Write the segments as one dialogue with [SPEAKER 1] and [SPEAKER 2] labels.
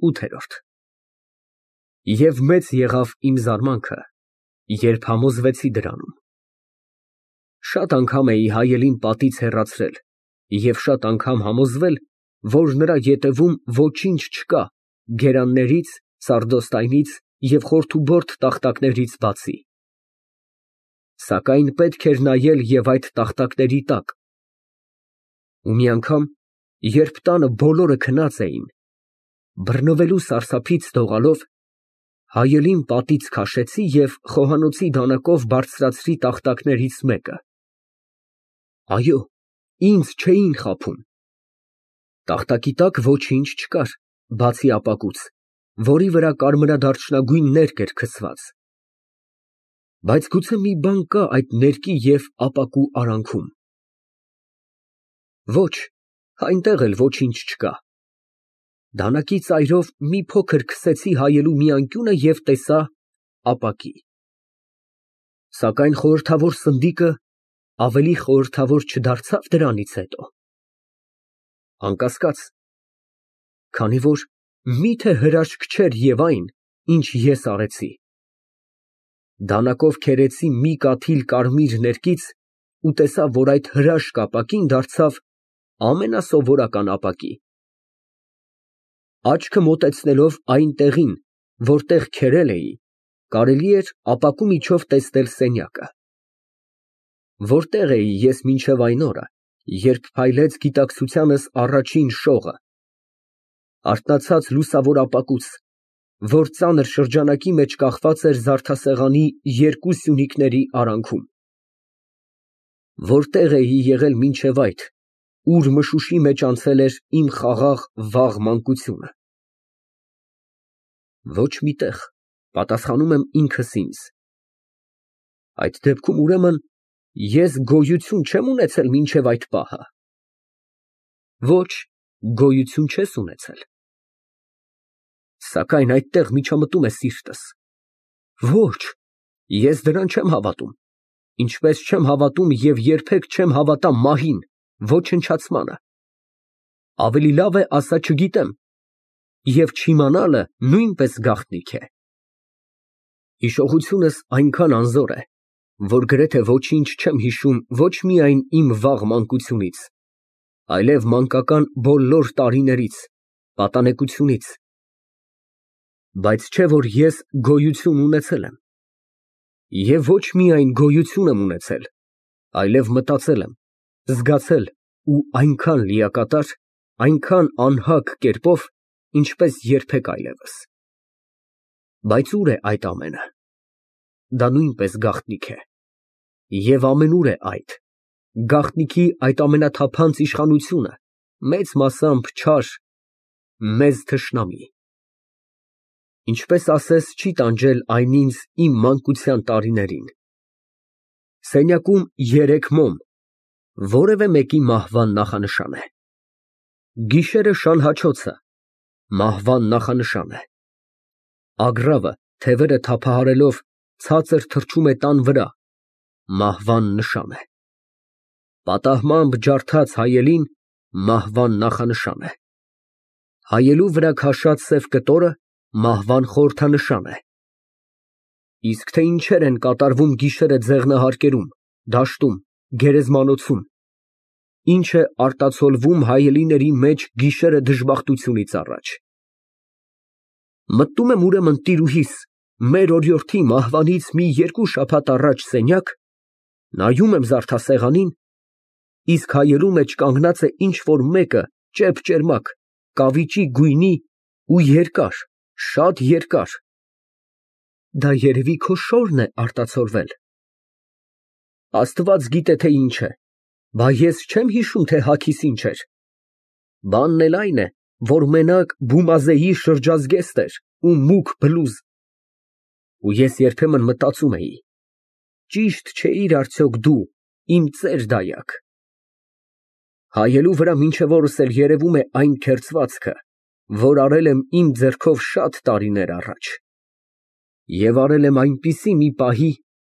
[SPEAKER 1] ՈՒԹԵՐՈՐԴ Եվ մեծ եղավ իմ զարմանքը, երբ համոզվեցի դրանում. շատ անգամ էի հայելին պատից հեռացրել և շատ անգամ համոզվել, որ նրա ետևում ոչինչ չկա գերաններից, սարդոստայնից և խորթուբորդ տախտակներից բացի, սակայն պետք էր նայել և այդ տախտակների տակ, ու մի անգամ, երբ տանը բոլորը քնած էին, բռնվելու սարսափից դողալով, հայելին պատից քաշեցի և խոհանոցի դանակով բարձրացրի տախտակներից մեկը, այո, ինձ չէին խաբում, տախտակի տակ ոչինչ չկար, բացի ապակուց, որի վրա կարմրադարչնագույն ներկը էր քսված, բայց գուցե մի բան կա այդ ներկի և ապակու արանքում, ոչ, այնտեղ էլ ոչինչ չկա, դանակի ծայրով մի փոքր քսեցի հայելու մի անկյունը և տեսա ապակի, սակայն խորհրդավոր սնդիկը ավելի խորհրդավոր չդարձավ դրանից հետո, անկասկած, քանի որ միթե հրաշք չէր և այն, ինչ ես արեցի, դանակով քերեցի մի կաթիլ կարմիր ներկից ու տեսա, որ այդ հրաշք ապակին դարձավ ամենասովորական ապակի, աչքը մոտեցնելով այն տեղին, որտեղ քերել էի, կարելի էր ապակու միջով տեսնել սենյակը, որտեղ էի ես մինչև այն օրը, երբ փայլեց գիտակցությանս առաջին շողը, արթնացած լուսավոր ապակուց, որ ծանր շրջանակի մեջ կախված էր զարդասեղանի երկու սյունիքների արանքում, որտեղ էի եղել մինչև այդ, ուր մշուշի մեջ անցել էր իմ խաղաղ վաղ մանկությունը, ոչ մի տեղ, պատասխանում եմ ինքս ինձ, այդ դեպքում, ուրեմն, ես գոյություն չեմ ունեցել մինչև այդ պահը, ոչ, գոյություն չես ունեցել, սակայն այդտեղ միջամտում է սիրտս, ոչ, ես դրան չեմ հավատում, ինչպես չեմ հավատում և երբեք չեմ հավատա մահին, ոչնչացմանը, ավելի լավ է ասա չգիտեմ, և չիմանալը նույնպես գաղտնիք է, հիշողությունս այնքան անզոր է, որ գրեթե ոչինչ չեմ հիշում ոչ միայն իմ վաղ մանկությունից, այլև մանկական բոլոր տարիներից, պատանեկությունից, բայց չէ որ ես գոյություն ունեցել եմ, և ոչ միայն գոյություն եմ ունեցել, այլև մտածել եմ, զգացել ու այնքան լիակատար, այնքան անհագ կերպով, ինչպես երբեք այլևս, բայց ուր է այդ ամենը, դա նույնպես գաղտնիք է, և ամենուր է այդ, գաղտնիքի այդ ամենաթափանց իշխանությունը, մեծ մասամբ չար, մեծ թշնամի, ինչպես ասես չի տանջել այն ինձ իմ մանկության տարիներին, սենյակում 3 մոմ, որևէ մեկի մահվան նախանշան է, գիշերը շանհաչոցը, մահվան նախանշան է, ագռավը թևերը թափահարելով ցածր թռչում է տան վրա, մահվան նշան է, պատահմամբ ջարդած հայելին մահվան նախանշան է, հայելու վրա քաշած սև կտորը մահվան խորհրդանշան է, իսկ թե ինչեր են կատարվում գիշերը ձեղնահարկերում, դաշտում, գերեզմանոցում, ինչ է արտացոլվում հայելիների մեջ գիշերը դժբախտությունից առաջ, մտնում եմ ուրեմն տիրուհիս, մեր օրիորդի մահվանից մի 2 շաբաթ առաջ սենյակ, նայում եմ զարդասեղանին, իսկ հայելու մեջ կանգնած է ինչ֊որ մեկը ճեպ֊ճերմակ, կավիճի գույնի ու երկար, շատ երկար, դա երևի քո շորն է արտացոլվել, Աստված գիտե թե ինչ է, բա ես չեմ հիշում, թե հագիս ինչ էր, բանն էլ այն է, որ մենակ Բումազեի շրջազգեստ էր ու մուգ բլուզ, ու ես երբեմն մտածում էի, ճիշտ չէիր արդյոք դու, իմ ծեր դայակ, հայելու վրա մինչև օրս էլ երևում է այն քերծվածքը, որ արել եմ իմ ձեռքով շատ տարիներ առաջ, և արել եմ այնպիսի մի պահի,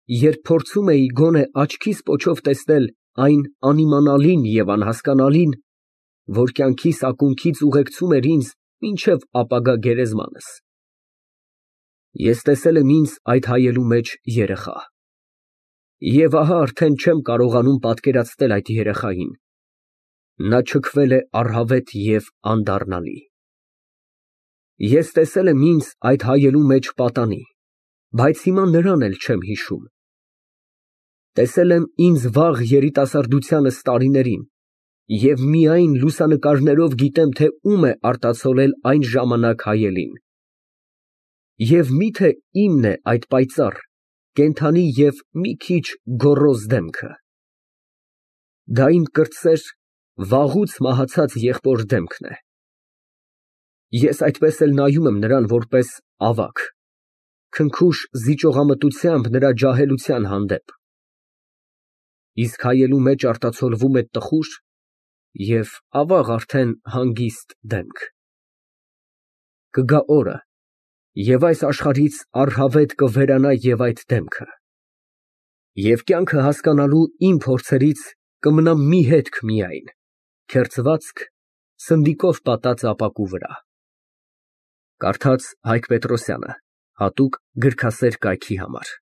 [SPEAKER 1] երբ փորձում էի գոնե աչքիս պոչով տեսնել այն անիմանալին և անհասկանալին, որ կյանքիս ակունքից ուղեկցում էր ինձ մինչև ապագա գերեզմանս։ Ես տեսել եմ ինձ այդ հայելու մեջ երեխա։ Եվ ահա արդեն չեմ կարողանում պատկերացնել այդ երեխային. նա չքվել է առհավետ և անդառնալի։ Ես տեսել եմ ինձ այդ հայելու մեջ պատանի, բայց հիմա նրան էլ չեմ հիշում։ Տեսել եմ ինձ վաղ երիտասարդությանս տարիներին և միայն լուսանկարներով գիտեմ, թե ում է արտացոլել այն ժամանակ հայելին։ Եվ մի՞թե իմն է այդ պայծառ, կենդանի և մի քիչ գոռոզ դեմքը։ Դա իմ կրտսեր, վաղուց մահացած եղբոր դեմքն է։ Ես այդպես էլ նայում եմ նրան որպես ավագ, քնքուշ զիջողամտությամբ նրա ջահելության հանդեպ, իսկ հայելու մեջ արտացոլվում է տխուր և ավաղ արդեն հանգիստ դեմք։ Կգա օրը, և այս աշխարհից առհավետ կվերանա և այդ դեմքը, և կյանքը հասկանալու իմ փորձերից կմնա մի հետք միայն, քերծվածք սնդիկով պատած ապակու վրա։ Կարդաց Հայկ Պետրոսյանը, հատուկ գրքասեր կայքի համար։